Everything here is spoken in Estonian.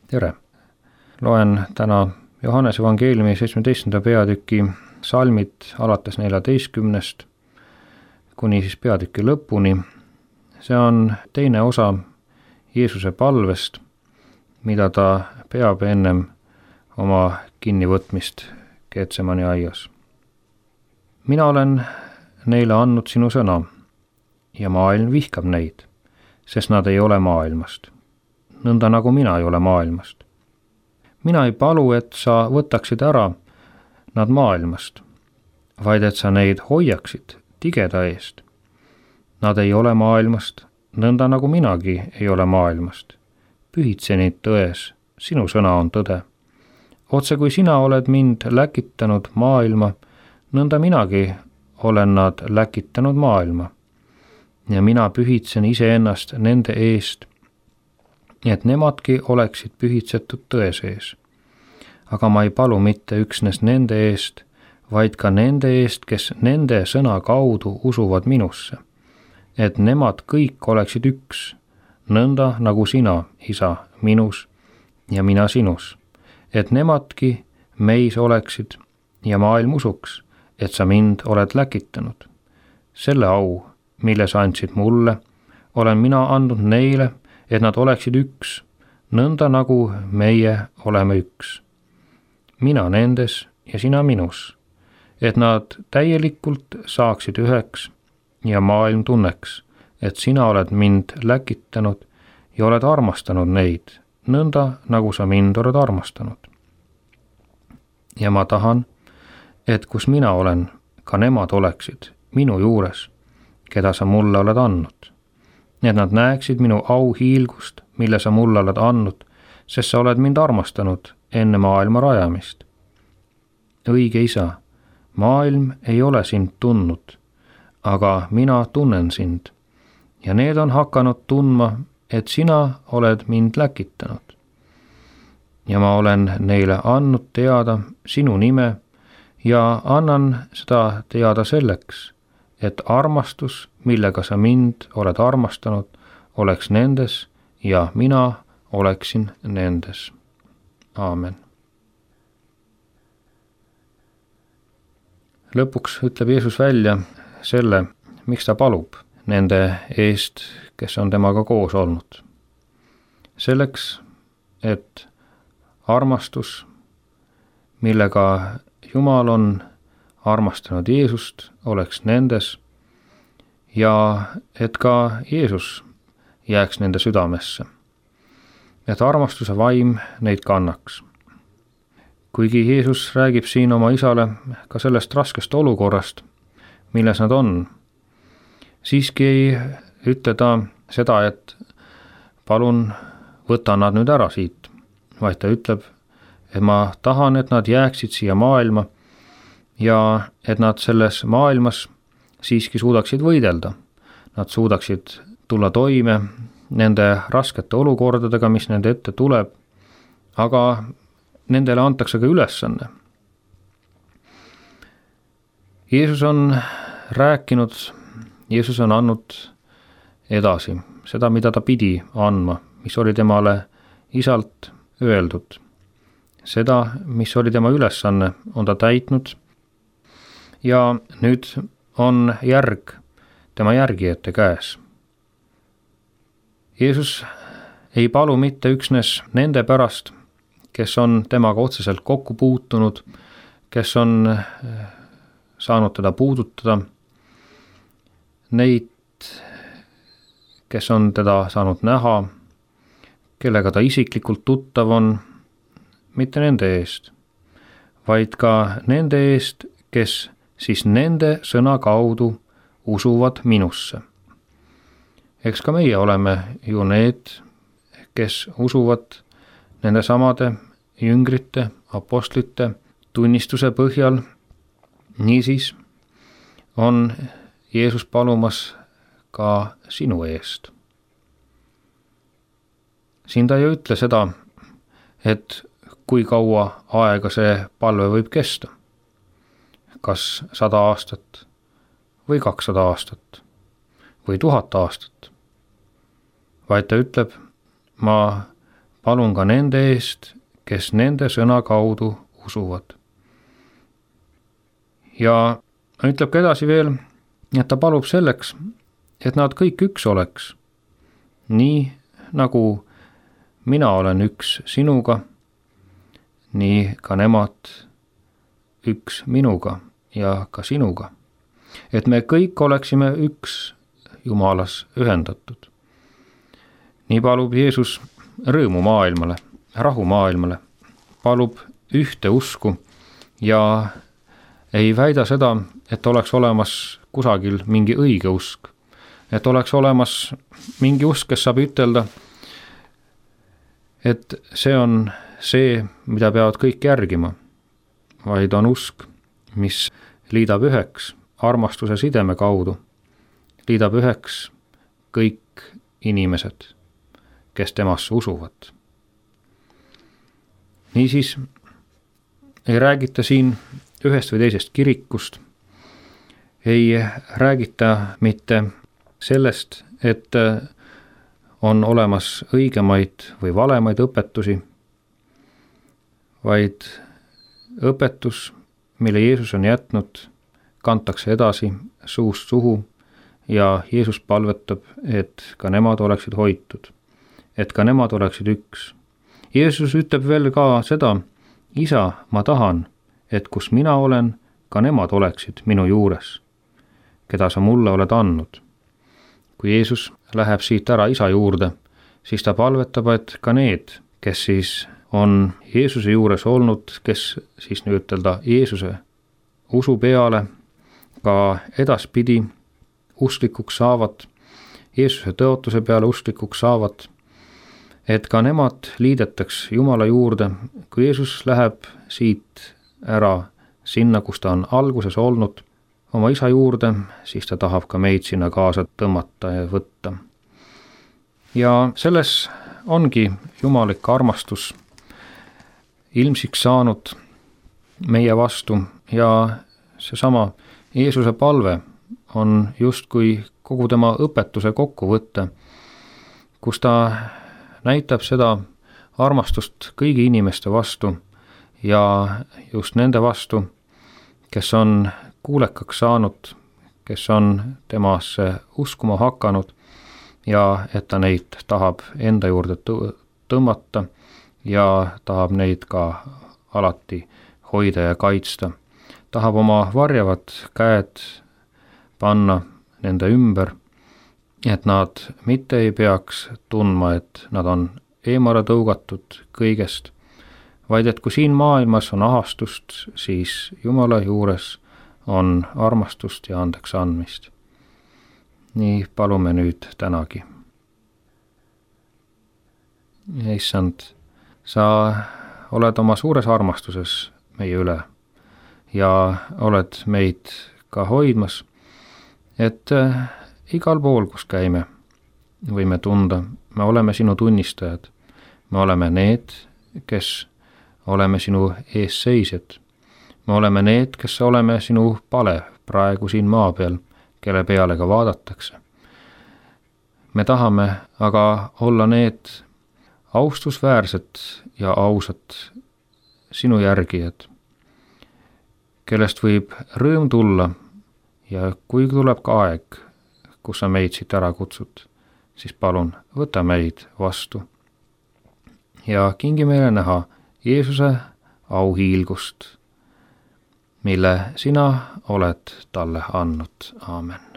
tere! Loen täna Johannese evangeeliumi 17. peatüki salmid alates 14. kuni siis peatüki lõpuni. See on teine osa Jeesuse palvest, mida ta peab ennem oma kinnivõtmist Getsemani aias. Mina olen neile andnud sinu sõna ja maailm vihkab neid, sest nad ei ole maailmast, nõnda nagu mina ei ole maailmast. Mina ei palu, et sa võtaksid ära nad maailmast, vaid et sa neid hoiaksid tigeda eest. Nad ei ole maailmast, nõnda nagu minagi ei ole maailmast. Pühitse neid tões, sinu sõna on tõde. Otse kui sina oled mind läkitanud maailma, nõnda minagi olen nad läkitanud maailma. Ja mina pühitsen iseennast nende eest, et nemadki oleksid pühitsetud tõe sees. Aga ma ei palu mitte üksnes nende eest, vaid ka nende eest, kes nende sõna kaudu usuvad minusse. Et nemad kõik oleksid üks, nõnda nagu sina, Isa, minus ja mina sinus. Et nemadki meis oleksid ja maailm usuks, et sa mind oled läkitanud. Selle au, mille sa andsid mulle, olen mina andnud neile, et nad oleksid üks, nõnda nagu meie oleme üks. Mina nendes ja sina minus, et nad täielikult saaksid üheks ja maailm tunneks, et sina oled mind läkitanud ja oled armastanud neid, nõnda nagu sa mind oled armastanud. Ja ma tahan, et kus mina olen, ka nemad oleksid minu juures, keda sa mulle oled andnud. Et nad näeksid minu auhiilgust, mille sa mulle oled andnud, sest sa oled mind armastanud enne maailma rajamist. Õige Isa, maailm ei ole sind tundnud, aga mina tunnen sind ja need on hakanud tundma, et sina oled mind läkitanud. Ja ma olen neile andnud teada sinu nime ja annan seda teada selleks, et armastus, millega sa mind oled armastanud, oleks nendes ja mina oleksin nendes. Aamen. Lõpuks ütleb Jeesus välja selle, miks ta palub nende eest, kes on temaga koos olnud. Selleks, et armastus, millega Jumal on armastanud Jeesust, oleks nendes ja et ka Jeesus jääks nende südamesse. Et armastuse vaim neid kannaks. Kuigi Jeesus räägib siin oma Isale ka sellest raskest olukorrast, milles nad on, siiski ei ütle ta seda, et palun võta nad nüüd ära siit, vaid ta ütleb, et ma tahan, et nad jääksid siia maailma ja et nad selles maailmas siiski suudaksid võidelda. Nad suudaksid tulla toime nende raskete olukordadega, mis nende ette tuleb, aga nendele antakse ka ülesanne. Jeesus on rääkinud, Jeesus on andnud edasi seda, mida ta pidi andma, mis oli temale Isalt öeldud. Seda, mis oli tema ülesanne, on ta täitnud ja nüüd on järg tema järgijate käes. Jeesus ei palu mitte üksnes nende pärast, kes on temaga otseselt kokku puutunud, kes on saanud teda puudutada, neid, kes on teda saanud näha, kellega ta isiklikult tuttav on, mitte nende eest, vaid ka nende eest, kes siis nende sõna kaudu usuvad minusse. Eks ka meie oleme ju need, kes usuvad nende samade jüngrite, apostlite tunnistuse põhjal. Niisiis on Jeesus palumas ka sinu eest. Siin ta ei ütle seda, et kui kaua aega see palve võib kesta. Kas 100 aastat või 200 aastat või 1000 aastat. Vaid ta ütleb, ma palun ka nende eest, kes nende sõna kaudu usuvad. Ja ütleb ka edasi veel, et ta palub selleks, et nad kõik üks oleks, nii nagu mina olen üks sinuga, nii ka nemad üks minuga ja ka sinuga. Et me kõik oleksime üks Jumalas ühendatud. Nii palub Jeesus rõõmu maailmale, rahu maailmale, palub ühte usku ja ei väida seda, et oleks olemas kusagil mingi õige usk, et oleks olemas mingi usk, kes saab ütelda, et see on see, mida peavad kõik järgima, vaid on usk, mis liidab üheks armastuse sideme kaudu, liidab üheks kõik inimesed, kes temasse usuvad. Niisiis ei räägita siin ühest või teisest kirikust, ei räägita mitte sellest, et on olemas õigemaid või valemaid õpetusi, vaid õpetus, mille Jeesus on jätnud, kantakse edasi suust suhu ja Jeesus palvetab, et ka nemad oleksid hoitud, et ka nemad oleksid üks. Jeesus ütleb veel ka seda, Isa, ma tahan, et kus mina olen, ka nemad oleksid minu juures, keda sa mulle oled andnud. Kui Jeesus läheb siit ära Isa juurde, siis ta palvetab, et ka need, kes siis on Jeesuse juures olnud, kes siis ütelda Jeesuse usu peale ka edaspidi usklikuks saavad, Jeesuse tõotuse peale usklikuks saavad, et ka nemad liidetaks Jumala juurde, kui Jeesus läheb siit ära sinna, kus ta on alguses olnud, oma Isa juurde, siis ta tahab ka meid sinna kaasa tõmmata ja võtta. Ja selles ongi jumalik armastus ilmsiks saanud meie vastu ja seesama Jeesuse palve on justkui kogu tema õpetuse kokkuvõte, kus ta näitab seda armastust kõigi inimeste vastu ja just nende vastu, kes on kuulekaks saanud, kes on temasse uskuma hakanud ja et ta neid tahab enda juurde tõmmata ja tahab neid ka alati hoida ja kaitsta. Tahab oma varjavad käed panna nende ümber, et nad mitte ei peaks tundma, et nad on eemale tõugatud kõigest, vaid et kui siin maailmas on ahastust, siis Jumala juures on armastust ja andeks andmist. Nii palume nüüd tänagi. Issand, sa oled oma suures armastuses meie üle ja oled meid ka hoidmas, et igal pool, kus käime, võime tunda, me oleme sinu tunnistajad, me oleme need, kes oleme sinu eesseisjad, me oleme need, kes oleme sinu pale praegu siin maa peal, kelle peale ka vaadatakse. Me tahame aga olla need austusväärsed ja ausad sinu järgijad, kellest võib rõõm tulla ja kui tuleb ka aeg, kus sa meid siit ära kutsud, siis palun võta meid vastu ja kingi meile näha Jeesuse auhiilgust, mille sina oled talle andnud. Aamen.